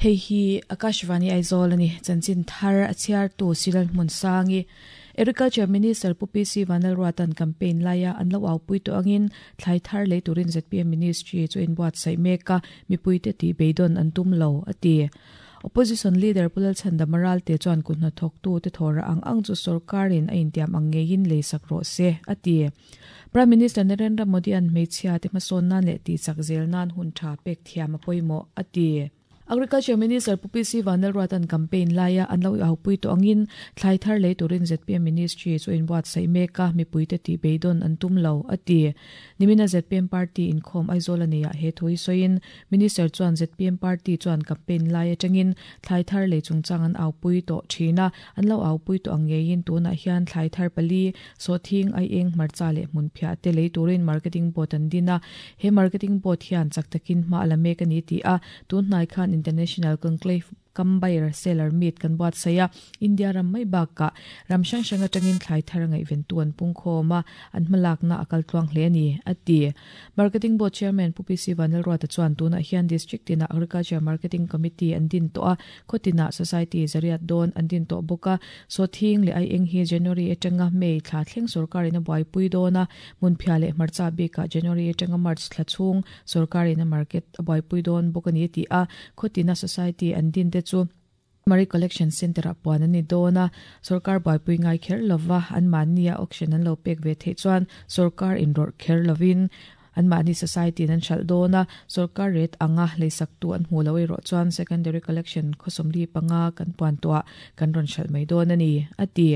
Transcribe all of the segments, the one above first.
Hei hi Akashvani Aizawl a ni. Chanchin thar a chhiartu Silal Hmunsangi, Agriculture Minister Pu PC Vanlalruata'n campaign laia an lo aupui tawh angin thlai thar lei turin zpm Ministry chu inbuatsaih mek a, mipuite tih beidawn an tum lo, a ti. Opposition Leader Pu Lalchhandama Ralte chuan kut hnathawktute thawhra ang ang chu sorkarin a intiam ang ngeiin leisak rawh se, a ti. Prime Minister Narendra Modi-a'n hmeichhia te hmasawn nan leh tihchak zel nan hun tha pek thiam a pawimawh, a ti. Agriculture Minister Pu PC Vanlalruata'n campaign laia an lo aupui tawh angin thlai thar lei turin zpm Ministry chu inbuatsaih mek a, mipuite tih beidawn an tum lo, a ti. Nimina zpm party inkhawm Aizawl a neiah he thu hi sawiin Minister chuan zpm party chuan campaign lai atangin thlai thar lei chungchang an aupui tawh thin a, an lo aupui tawh ang ngeiin tunah hian thlai thar pali, Sawhthing, aieng, hmarcha leh hmunphiah te lei turin Marketing Board an din a, he Marketing Board hian chak takin hma a la mek a ni tih a, tun hnai khan International Conclave Kam Buyer Seller Meet kan buatsaih a, India ram mai bakah ram hrang hrang atangin thlai thar ngaihventu an pungkhawm a, an hmalakna a kal tluang hle a ni, a ti. Marketing Board Chairman Pu PC Vanlalruata chuan tunah hian District tinah Agriculture Marketing Committee an din tawh a, khaw tinah Society zariat dawn an din tawh bawk a, Sawthing leh aieng hi January atanga May thla thleng sorkarin a buaipui dawn a, Hmunphiah leh hmarcha bikah January atanga March thla chhung sorkarin a market a buaipui dawn bawk a ni a ti a, khaw tina society an din te chu Murray Collection Centre-ah puan an ni dawn a, sorkar buaipui ngai kher lova anmahnia auction an lo pek ve theih chuan sorkar inrawrh kher lovin anmahni society-in an hralh dawn a, sorkar rate anga leisaktu an hmuh loh erawh chuan secondary collection khawsawmli panga kan puan tuah kan rawn hralh mai dawn a ni, a ti.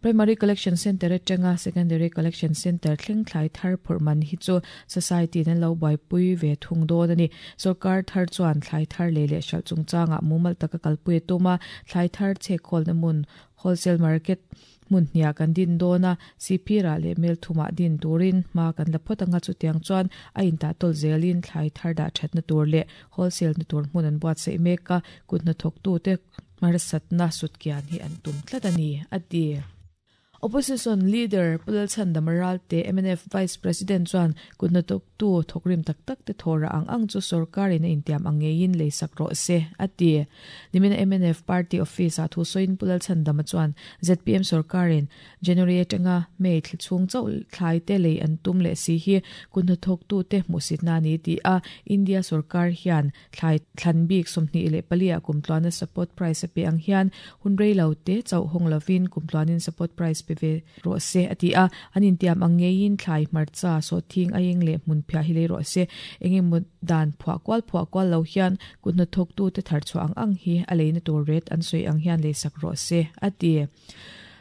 Primary Collection Centre atanga Secondary Collection Centre thleng thlai thar phurh man hi chu Society-in an lo buaipui ve thung dawn a ni. Sorkar thar chuan thlai thar lei leh hralh chungchangah mumal taka kalpui a tum a, thlai thar chhekkhawlna hmun, wholesale market, hmun hniah kan din dawn a, Sihphirah leh Melthumah din turin hma kan la phawt anga chutiang chuan a intahtawlh zelin thlai thar dah thatna tur leh wholesale-na tur hmun an buatsaih mek a, kut hnathawktute Hmarsatna sutkian hi an tum tlat a ni, a ti. Opposition Leader Pu Lalchhandama Ralte, mnf Vice President chuan kut hnathawktu thawkrim tak tak te thawhrah ang ang chu sorkarin a intiam ang ngeiin leisak rawh se, a ti. Nimina mnf Party Office-ah thu sawiin Pu Lalchhandama chuan zpm sorkarin January atanga May thla chhung chauh thlai te lei an tum leh si hi kut hnathawktute hmuhsitna a ni ti a, India sorkar hian Thlai thlan bik 24 ah kum tluana support price a pe ang hian hun rei lo te chauh hawng lovin kum tluanin support price pe ve rawh se a ti a. An intiam ang ngeiin thlai hmarcha, sawhthing, aieng leh hmunphiah hi lei rawh se. Eng emaw dan phuah kual phuah kual lo hian kut hnathawktute tharchhuah ang ang hi a leina tur ret an sawi ang hian leisak rawh se a ti.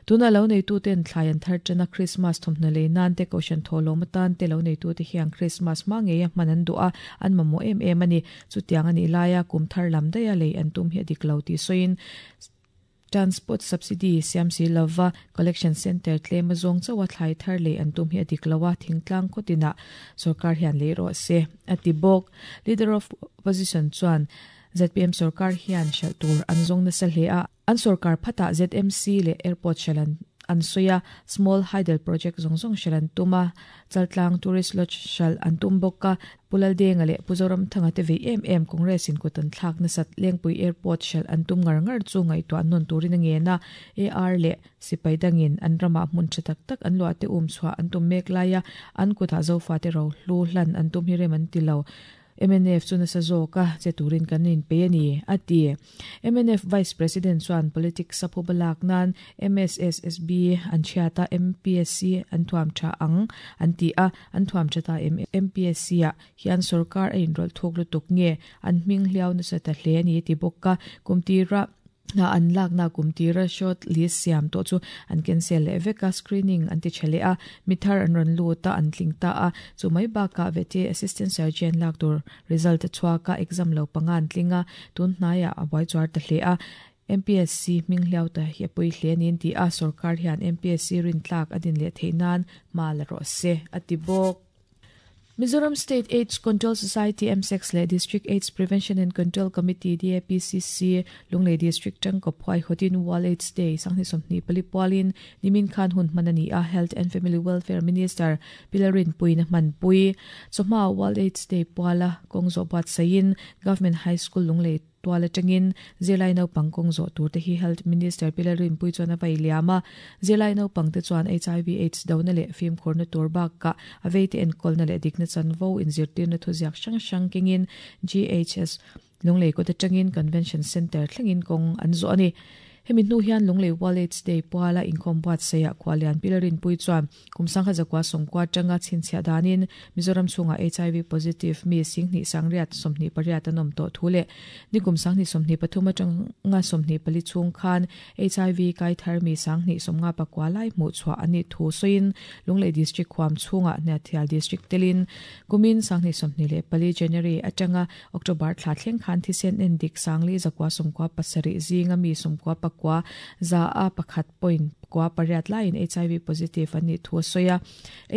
Tuna lo neituten thlai an thar ṭan a, Krismas thawmhnaw lei nan te, Kohhran thawhlawm atan te lo neitute hian Krismas hma ngeia hman an duh a, an mamawh em em a ni. Chutiang a nih laia kum thar lam daiha lei an tum hi a dik lo tih sawiin Transport Subsidy siam si lova Collection Centre tlem a zawng chauh a thlai thar lei an tum hi a dik lo a, thingtlang khaw tinah sorkar hian lei rawh se, a ti bawk. Leader of Opposition chuan zpm sorkar hian hralh tur an zawng nasa hle a, An sorkar phatah ZMC leh Airport hralh an an sawi a, Small Hydel Project zawng zawng hralh an tum a, Chaltlang Tourist Lodge hralh an tum bawk a, Pu Laldenga leh Pu Zoramthanga te vei em em Congress in kut an thlak nasat Lengpui Airport hralh an tum ngar ngar chu ngaihtuah nawn turin a ngen a, AR leh Sipai dangin an ramah hmun tha tak tak an luah te um chhuah an tum mek lai a, an kutah Zofate rohlu hlan an tum hi rem an ti lo. Mnf chu nasa zawk a che turin kan inpei a ni, a ti. Mnf Vice President chuan politics a phuba lak nan MSSSB an chhiat a, MPSC an thuam tha ang an ti a, an thuam tha ta em? MPSC-ah hian sorkar a inrawlh thuk lutuk nge an hming hliau nasa ta hle a ni, a ti bawk a. Kum tira. Hna an lakna kum tira short list siam tawh chu an cancel leh vek a, screening an ti tha leh a, mi thar an rawn lut a, an tling ta a, chu mai bakah vete assistant surgeon lak tur result a chhuak a, exam lo panga an tling a, tun hnaiah a buai chuar ta hle a, MPSC hming hliau ta hi a pawi hle a ni an ti a, sorkar hian MPSC rintlak a din leh theih nan hma la rawh se a ti bawk. Mizoram State AIDS Control Society, MSACS, leh District AIDS Prevention and Control Committee, DAPCC, Lunglei District tangkawp huaihawtin World AIDS Day sanghnih 24 pualin nimin khan hun hman a ni a, Health and Family Welfare Minister Pi Lalrinpuiin a hmanpui. Chawhma World AIDS Day puala kawng zawh buatsaihin Government High School Lunglei. tual atangin zirlai naupang kawng zawh tur te hi Health Minister Pi Lalrinpuii chuan a vai liam a. Zirlai naupang te chuan HIV Aids dona leh fimkhurna tur bakah a veite enkawlna leh dikna chanvo inzirtirna thuziak hrang hrang kengin GHS Lunglei kawt atangin Convention Centre thlengin kawng an zawh a ni. Hemi hnu hian Lunglei World Aids Day puala inkhawm buatsaihah Khualian Pi Lalrinpuii chuan kum sangha zakua sawmkua atanga chhinchhiah danin Mizoram chhungah HIV positive mi singhnih sangriat 28 an awm tawh thu leh nikum sanghnih 23 atanga 24 chhung khan HIV kai thar mi sanghnih 59 lai hmuhchhuah an nih thu sawiin Lunglei District huam chhungah Hniathial District telin kumin sanghnih 24 January atanga October thla thleng khan thisen en dik sangli zakua 97 zinga mi 99 za a pakhat point kua pariat laiin HIV positive an nih thu a sawi a.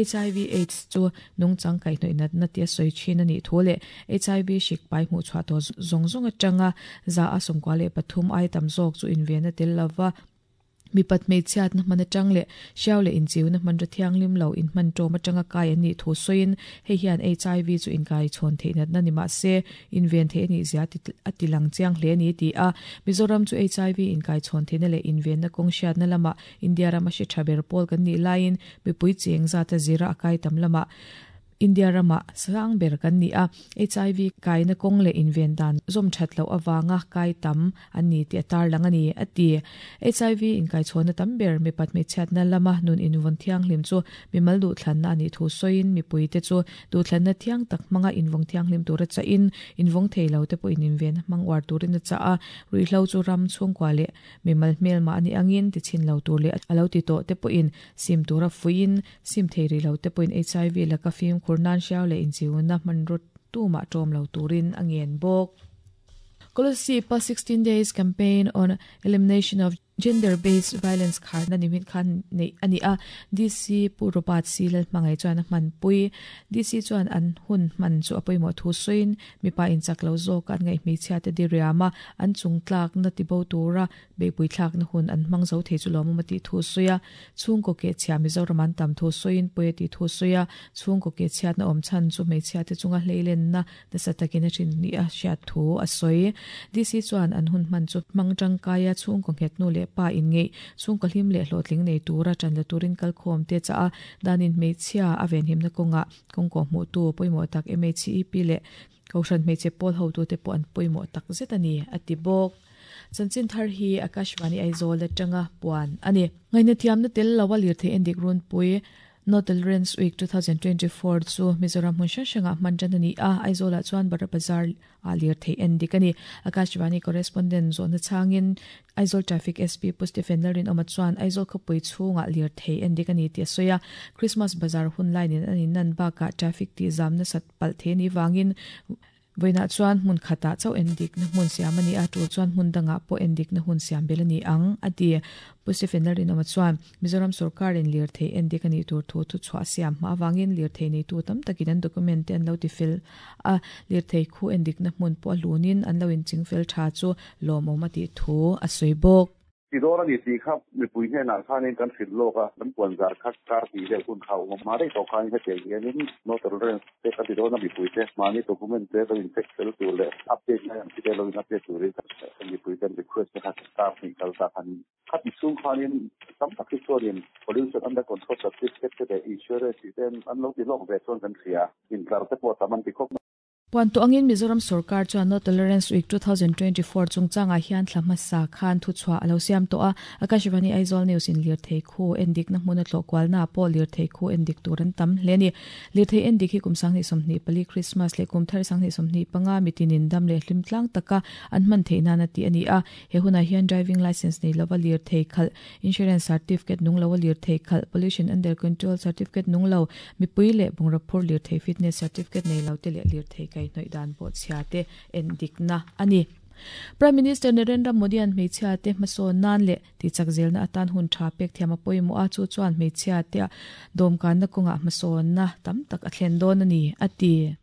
HIV AIDS chu nungchang kaihhnawih natna tia sawi thin a nih thu leh HIV hrik pai hmuhchhuah tawh zawng zawng atanga za a 93 ai tam zawk chu inven a tel lova. Mipat hmeichhiatna hman atang leh hriau leh inchiuna hmanraw thianghlim lo inhman tawm atanga kai an nih thu sawiin hei hian HIV chu inkai chhawn theih natna ni mah se inven theih a nih zia a ti lang chiang hle a ni ti a. Mizoram chu HIV inkai chhawn theihna leh invenna kawng hriatna lamah India rama hri tha ber pawl kan nih laiin mipui cheng zata zira a kai tam lamah India ramah sang ber kan ni a, HIV kaina kawng leh inven dan zawm that loh avanga kai tam an ni tih a tarlang a ni, a ti. HIV inkaichhawnna tam ber mipat hmeichhiatna lama nun invawn thianghlim chu mimal duhthlanna a nih thu sawiin mipuite chu duhthlanna thiang tak hmanga invawng thianghlim tura chahin invawng thei lo te pawhin invenna hmang uar turin a chah a, ruihhlo chu ram chhungkua leh mimal hmelmah a nih angin tichin lo tur leh a lo ti tawh te pawhin sim tura fuihin Sim thei rih lo te pawhin HIV laka fimkhur nan hriau leh inchiuna hmanraw tumah tawm lo turin a ngen bawk. Kolasib-a 16 Days Campaign on Elimination of Gender-Based Violence kharna nimit khan neih a ni a, DC Pu Robert C. Lalhmangaih chuan a hmanpui. DC chuan an hun hman chu a pawimawh thu sawiin mipa inchak lo zawk an ngaih hmeichhia te diriam a, an chung tlakna tibo tura Beihpui thlakna hun an hmang zo thei chu lawmawm a tih thu sawi a, chhungkaw keh chhia Mizoram an tam thu sawiin pawi a tih thu sawi a, chhungkaw keh chhiatna awm chhan chu hmeichhiate chunga hleilenna nasa takin a hrin ni a hriat thu a sawi. DC chuan an hun hman chu hmang tangkai a, chhungkaw nghet nu leh pa inngeih, chhungkaw hlim leh hlawhtling nei tura tan la turin kalkhawm te chah a, danin hmeichhia a venhimna kawngah kawngkaw hmuhtu pawimawh tak MHEP leh Kohhran hmeichhe pawl hotute pawh an pawimawh tak zet a ni, a ti bawk. Chanchin thar hi Akashvani Aizawl atanga puan a ni. Ngaihna thiamna tel lo a lirthei endik runpui No Tolerance Week 2024 chu Mizoram hmun hrang hrangah hman tan a ni a, Aizawlah chuan Bara Bazar ah lirthei endik a ni. Akashvani correspondent zawhna chhangin Aizawl Traffic SP Pu Stephen Lalrinawma chuan Aizawl khawpui chhungah lirthei endik a ni tih a sawi a, Christmas bazar hun line in an innan bakah traffic tihzam nasat palh thei a nih vangin vawiinah chuan hmun khatah chauh endikna hmun siam a ni a, tul chuan hmun dangah pawh endikna hun siam belh a ni ang, a ti. Pu Stephen Lalrinawma chuan Mizoram sorkarin lirthei endik a nih tur thu thuchhuah a siam hma avangin lirthei neitu tam takin an document te an lo ti fel a, lirthei khu endikna hmun pawh a hlunin an lo inchingfel tha chu lawmawm a tih thu a sawi bawk. Ti dawn a ni tih kha mipui hnenah khanin kan hrilh lawk a, kan puan zar kha kar tih vel hun kha a awm a, hma daih tawh khanin hetiang hianin no tolerance te kan ti dawn a, mipuite mahni document te kan incheck fel tur leh update ngai ang chi te lo in update turin kan mipui ten request te kha kar hnih kal ta khanin khati chhung khanin tam tak hi chuanin pollution under control certificate te leh insurance tih te an lo ti lawk ve chuan kan hria, intlar te pawh tam an ti khawp mai. Puan tawh angin Mizoram sorkar chuan No Tolerance Week 2024 chungchangah hian thla hmasa khan thuchhuah a lo siam tawh a. Akashvani Aizawl News in lirthei khu endikna hmuna tlawh kualnaah pawh lirthei khu endik tur an tam hle a ni. Lirthei endik hi kum 2024 Krismas leh kum thar 2025 mitinin dam leh hlim tlang taka an hman theih nana tih a ni a. He hunah hian driving licence nei lova lirthei khalh, insurance certificate nung loa lirthei khalh, pollution under control certificate nung lo, Mipui leh bungraw phur lirthei fitness certificate nei lo te leh lirthei kaihhnawih dan pawh chhia te en dikna a ni. Prime Minister Narendra Modi-a'n hmeichhia te hmasawn nan leh tihchak zelna atan hun tha pek thiam a pawimawh a, chu chuan hmeichhia te dawmkanna kawngah hmasawnna tam tak a thlen dawn a ni, a ti.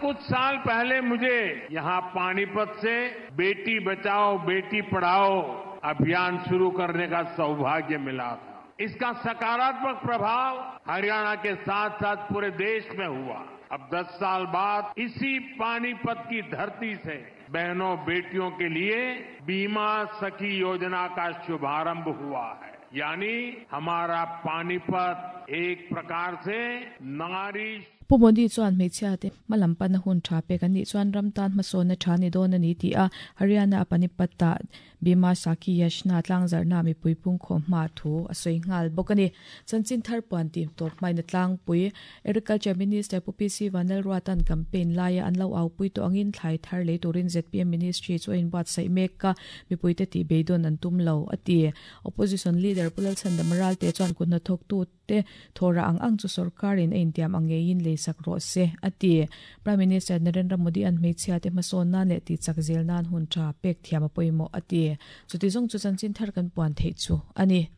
कुछ साल पहले मुझे यहां पानीपत से बेटी बचाओ बेटी पढ़ाओ अभियान शुरू करने का सौभाग्य मिला था। इसका सकारात्मक प्रभाव हरियाणा के साथ साथ पूरे देश में हुआ। अब 10 साल बाद इसी पानीपत की धरती से बहनों बेटियों के लिए बीमा सखी योजना का शुभारंभ हुआ है। यानी हमारा पानीपत एक प्रकार से नारी Pu Modi chuan hmeichhia te hmalam pana hun tha pek an nih chuan ram tan hmasawnna tha ni dawn a ni tih a, Haryana a Panipat ah Bima Sakhi Yashna tlangzarhna mipui pungkhawm hma thu a sawi nghal bawk a ni. Chanchin thar puan tih tawp hmain a tlangpui. Agriculture Minister Pu PC Vanlalruata'n campaign laia an lo aupui tawh angin thlai thar lei turin zpm Ministry chu a inbuatsaih mek a, mipuite tih beidawn an tum lo, a ti. Opposition Leader Pu Lalchhandama Ralte chuan kut hnathawktu te thawhrah ang ang chu sorkarin a intiam ang ngeiin leisak rawh se, a ti. Prime Minister Narendra Modi-a'n hmeichhia te hmasawn nan leh tihchak zel nan hun tha pek thiam a pawimawh, a ti. Chuti zawng chu chanchin thar kan puan theih chu a ni.